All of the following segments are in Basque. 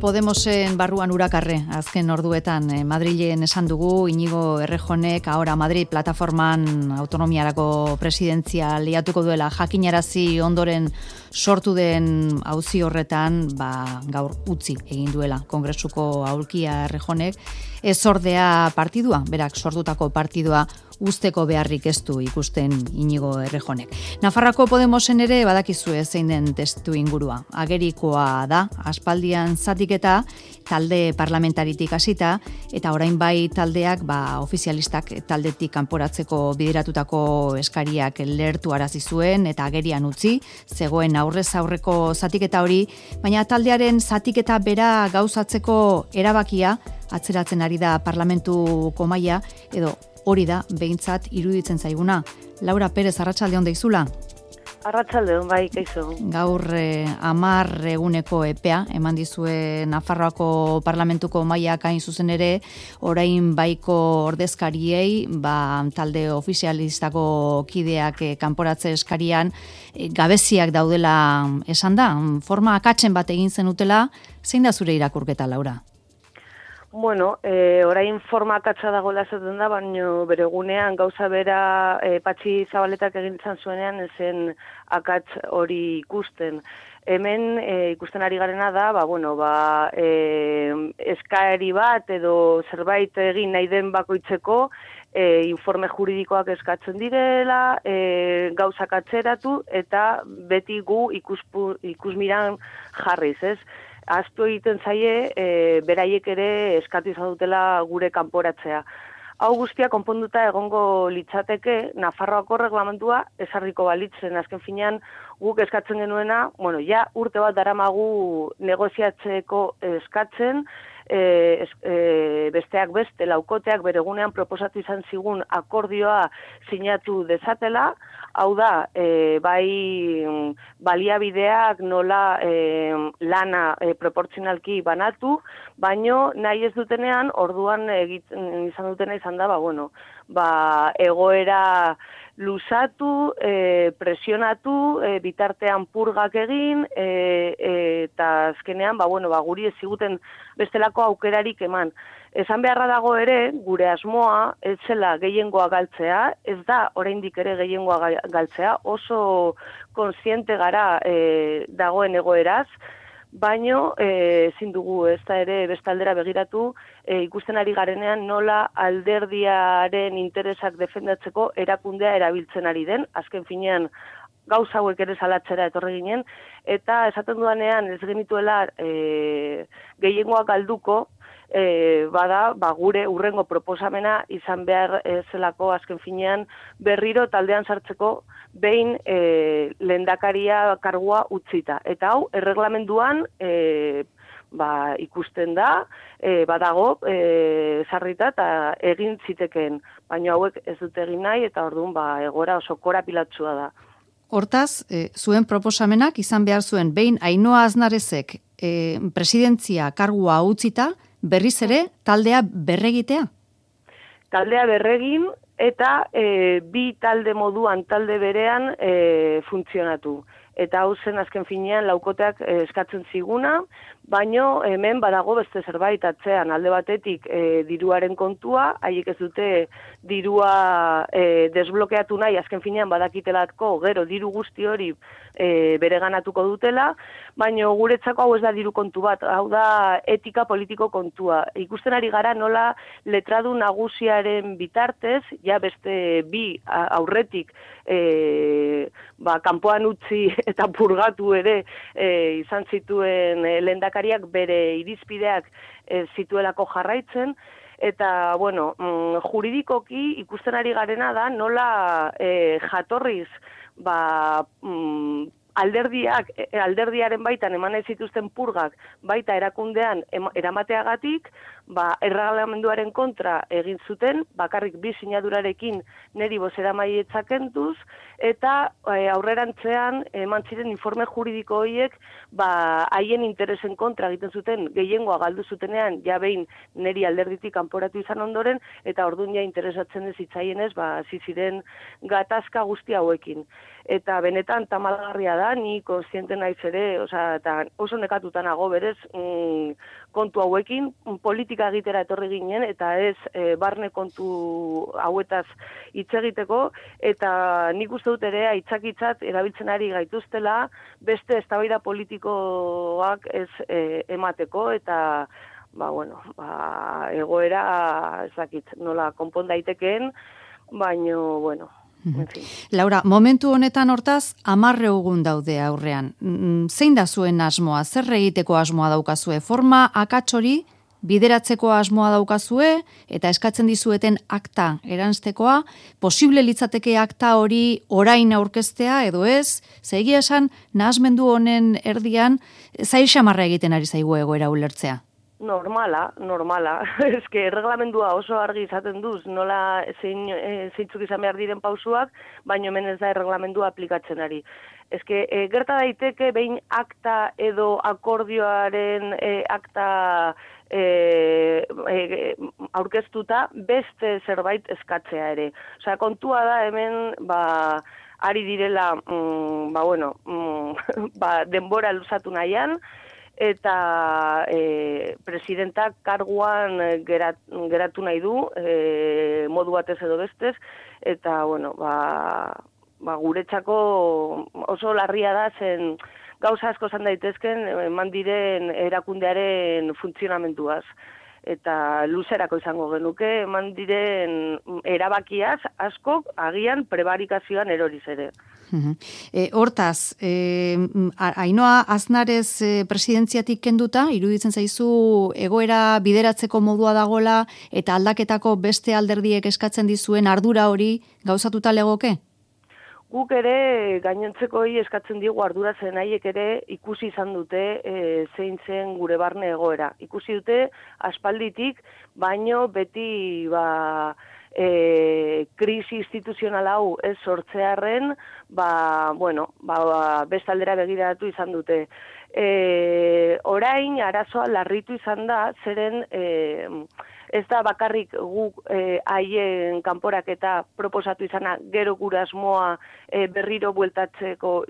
Podemosen barruan urakarre, azken orduetan Madrilen esan dugu, Iñigo Errejonek ahora Madrid plataforman autonomiarako presidentzia liatuko duela jakinarazi ondoren sortu den auzi horretan, gaur utzi egin duela Kongresuko aulkia Errejonek, ez ordea partidua, berak sortutako partidua usteko beharrik ez du ikusten Iñigo Errejonek. Nafarroako Podemosen ere badakizue zein den testu ingurua. Agerikoa da, aspaldian zatiketa, talde parlamentaritik hasita, eta orain bai taldeak, ofizialistak taldetik kanporatzeko bideratutako eskariak lertu arazi zuen, eta agerian utzi, zegoen aurrez aurreko zatiketa hori, baina taldearen zatiketa bera gauzatzeko erabakia, atzeratzen ari da parlamentuko mahaia, edo hori da, behintzat iruditzen zaiguna. Laura Perez, arratsaldeon deizula? Arratsaldeon, bai, kaixo. Gaur 10 eguneko epea, eman dizue Nafarroako parlamentuko mahaiak hain zuzen ere, orain baiko ordezkariei, talde ofizialistako kideak kanporatze eskarian, gabeziak daudela esan da, forma akatzen bat egin zenutela, zein da zure irakurketa, Laura? Bueno, orain forma akatsa dagoela esaten da, baina bere egunean gauza bera Patxi Zabaletak egin izan zuenean ezen akats hori ikusten. Hemen ikusten ari garena da, eskaeri bat edo zerbait egin nahi den bakoitzeko informe juridikoak eskatzen direla, gauzak atzeratu eta beti gu ikusmiran jarriz, ez? Aztu egiten zaie, beraiek ere eskatu izan dutela gure kanporatzea. Hau guztia konponduta egongo litzateke, Nafarroako reglamentua esarriko balitzen. Azken finean guk eskatzen genuena, urte bat daramagu negoziatzeko eskatzen, besteak beste, laukoteak bere egunean proposatu izan zigun akordioa sinatu dezatela, hau da, bai baliabideak nola lana proportzionalki banatu, baino nahi ez dutenean, orduan izan dutena izan da, egoera luzatu, presionatu, bitartean purgak egin, eta azkenean, guri ez ziguten bestelako aukerarik eman. Esan beharra dago ere, gure asmoa, ez zela gehiengoa galtzea, ez da oraindik ere gehiengoa galtzea, oso kontziente gara dagoen egoeraz, baino ezin dugu ez da ere bestaldera begiratu, ikusten ari garenean nola alderdiaren interesak defendatzeko erakundea erabiltzen ari den, azken finean gauza hauek ere salatzera etorri ginen, eta esaten dudanean ez genituela gehiengoa galduko, gure urrengo proposamena izan behar zelako azken finean berriro taldean sartzeko behin lehendakaria kargua utzita. Eta hau, erreglamenduan ikusten da, badago sarrita eta egin zitekeen, baina hauek ez dute egin nahi eta orduan egora oso korapilatsua da. Hortaz, zuen proposamenak izan behar zuen behin Ainhoa Aznarezek presidentzia kargua utzita, berriz ere taldea berregitea? Taldea berregin eta bi talde moduan talde berean funtzionatu. Eta hau zen azken finean laukoteak eskatzen ziguna, baino hemen badago beste zerbait atzean alde batetik diruaren kontua, haiek ez dute dirua desblokeatu nahi, azken finean badakitelako gero diru guzti hori bereganatuko dutela, baino guretzako hau ez da diru kontu bat, hau da etika politiko kontua. Ikusten ari gara nola letradu nagusiaren bitartez, ja beste bi aurretik kanpoan utzi eta purgatu ere izan zituen lehendakariak bere irizpideak zituelako jarraitzen, eta, juridikoki ikusten ari garena da nola jatorriz, alderdiaren baitan eman ez zituzten purgak baita erakundean eramateagatik, erreglamenduaren kontra egin zuten, bakarrik bi sinadurarekin niri bozeramailea kenduz, eta aurrerantzean eman ziren informe juridiko horiek haien interesen kontra egiten zuten, gehiengoa galdu zutenean, ja behin niri alderditik kanporatu izan ondoren, eta orduan ja interesatzen ez hitzaienez, hasi ziren gatazka guzti hauekin. Eta benetan tamalgarria da, ni kontziente naiz ere, eta oso nekatuta nago berez kontu hauekin, politika egitera etorri ginen, eta ez barne kontu hauetaz hitz egiteko, eta nik uste dut ere aitzakitzat erabiltzen ari gaituztela, beste eztabaida politikoak ez emateko, eta egoera ez dakit nola konpon daitekeen, baino, bueno, en fin. Laura, momentu honetan hortaz, 10 egun daude aurrean. Zein da zuen asmoa? Zer egiteko asmoa daukazue? Forma akats hori bideratzeko asmoa daukazue eta eskatzen dizueten akta eranztekoa, posible litzateke akta hori orain aurkeztea edo ez? Egia esan, nahasmendu honen erdian, zail xamarra egiten ari zaigu egoera ulertzea. Normala. Eske erreglamendua oso argi izaten duz, nola zeintzuk izan behar diren pausuak, baino hemen ez da erreglamendua aplikatzen ari. Eske gerta daiteke behin akta edo akordioaren akta aurkeztuta beste zerbait eskatzea ere. Osea, kontua da hemen ari direla denbora luzatu nahian, eta presidentak karguan geratu nahi du, modu batez edo bestez, eta, guretzako oso larria da, zen gauza asko zan daitezken eman diren erakundearen funtzionamentuaz. Eta luzerako izango genuke, eman diren erabakiaz asko agian prebarikazioan eroriz ere. Hortaz, Ainhoa Aznarez presidentziatik kenduta, iruditzen zaizu egoera bideratzeko modua dagola eta aldaketako beste alderdiek eskatzen dizuen ardura hori gauzatuta legoke? Guk ere gainontzeko eskatzen digu ardura zen haiek ere ikusi izan dute zein zen gure barne egoera. Ikusi dute aspalditik, baino beti krisi instituzional hau ez sortzearren, beste aldera begiratu izan dute. Orain arazoa larritu izan da, zeren ez da bakarrik guk haien kanporaketa proposatu izana gero gure asmoa berriro bueltatzeko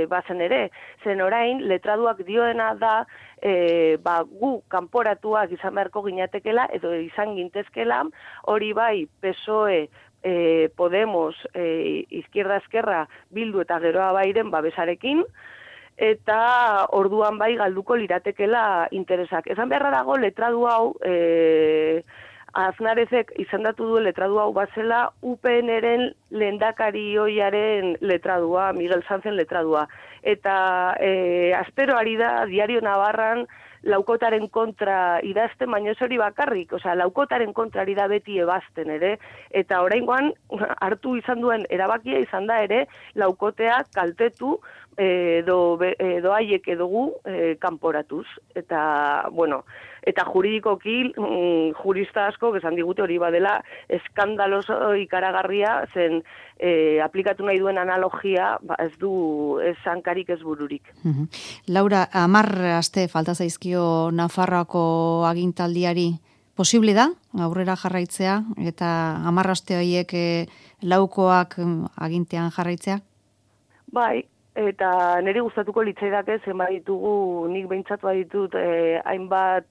bazen ere. Zen orain, letraduak dioena da gu kanporatuak izan beharko ginatekela edo izan gintezkela, hori bai PSOE, Podemos, Izquierda Esquerra, Bildu eta geroa bairen babesarekin, eta orduan bai galduko liratekela interesak. Esan beharra dago letradu hau, Aznarezek izendatu du letradu hau bazela UPN-eren lehendakari oiaren letradua, Miguel Sanzen letradua. Eta astero ari da Diario Navarran laukotaren kontra idazten, baina ez hori bakarrik, laukotaren kontra ari da beti ebazten ere, eta oraingoan hartu izan duen erabakia izan da ere laukotea kaltetu edo haiek edo gu kanporatuz. Eta, eta juridikoki jurista asko esan digute hori badela eskandaloso ikaragarria, zen aplikatu nahi duen analogia ez du hankarik ez bururik. Laura, 10 aste falta zaizkio Nafarroako agintaldiari. Posible da aurrera jarraitzea eta 10 aste horiek laukoak agintean jarraitzea? Bai. Eta niri gustatuko litzaidake zenbait ditugu, nik behintzat baditut hainbat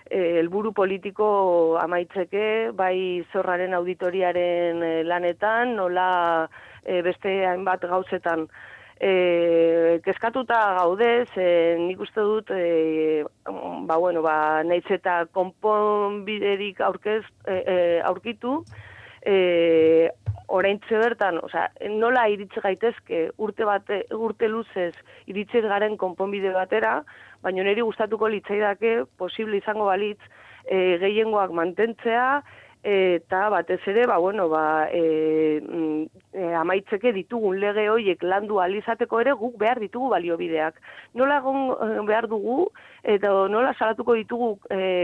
helburu politiko amaitzeke, bai Zorraren auditoriaren lanetan, nola beste hainbat gauzetan. Kezkatuta gaude, nik uste dut, nahiz eta konponbiderik aurkitu, oraintxe bertan, nola iritsi gaitezke urte luzez iritsi garen konponbide batera, baina niri gustatuko litzaidake posible izango balitz gehiengoak mantentzea eta batez ere amaitzeke ditugun lege horiek landu alizateko ere guk behar ditugu baliobideak. Nola behar dugu, eta nola salatuko ditugu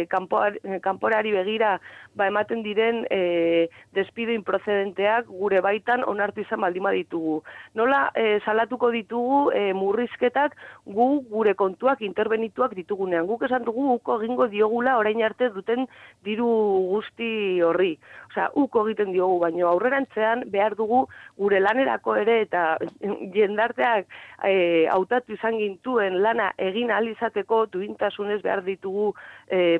kanporari begira ematen diren despido improcedenteak gure baitan onartu izan baldin baditugu. Nola salatuko ditugu murrizketak gure kontuak interbenituak ditugunean. Guk esan dugu uko egingo diogula orain arte duten diru guzti horri. Osea, uko egiten diogu, baina aurrerantzean behar dugu gure lanerako ere eta jendarteak hautatu izan gintuen lana egin ahal izateko duintasunez behar ditugu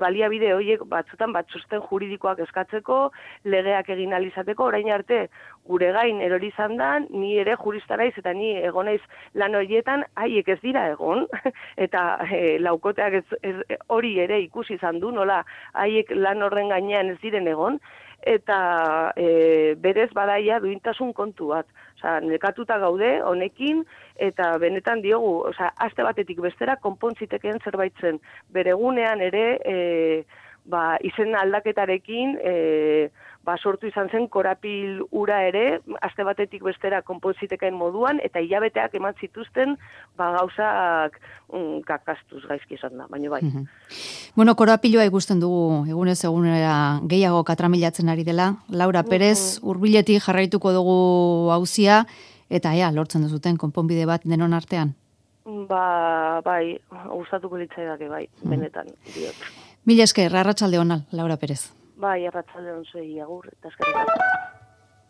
baliabide horiek batzutan batzusten juridikoak eskatzeko, legeak egin ahal izateko, orain arte gure gain erori izan da, ni ere jurista naiz eta ni egon naiz lan horietan, haiek ez dira egon, eta laukoteak hori ere ikusi izan du, nola haiek lan horren gainean ez diren egon, eta berez badaia duintasun kontu bat. Osea, nekatuta gaude honekin, eta benetan diogu, osea, aste batetik bestera konpontzitekeen zerbait zen. Beregunean ere, izen aldaketarekin, sortu izan zen korapil ura ere, aste batetik bestera konpontziteken moduan, eta hilabeteak eman zituzten gauzak kakastuz gaizki izan da, baina bai. Bueno, korapiloa ikusten dugu egunez egunera gehiago katramilatzen ari dela. Laura Perez, hurbiletik jarraituko dugu auzia, eta lortzen duzuten konponbide bat denon artean? Bai, gustatuko litzaidake bai, benetan, diot. Mila esker, arratsalde ona, Laura Perez. Bai, arratsalde on zuei, agur, eta eskerrik asko.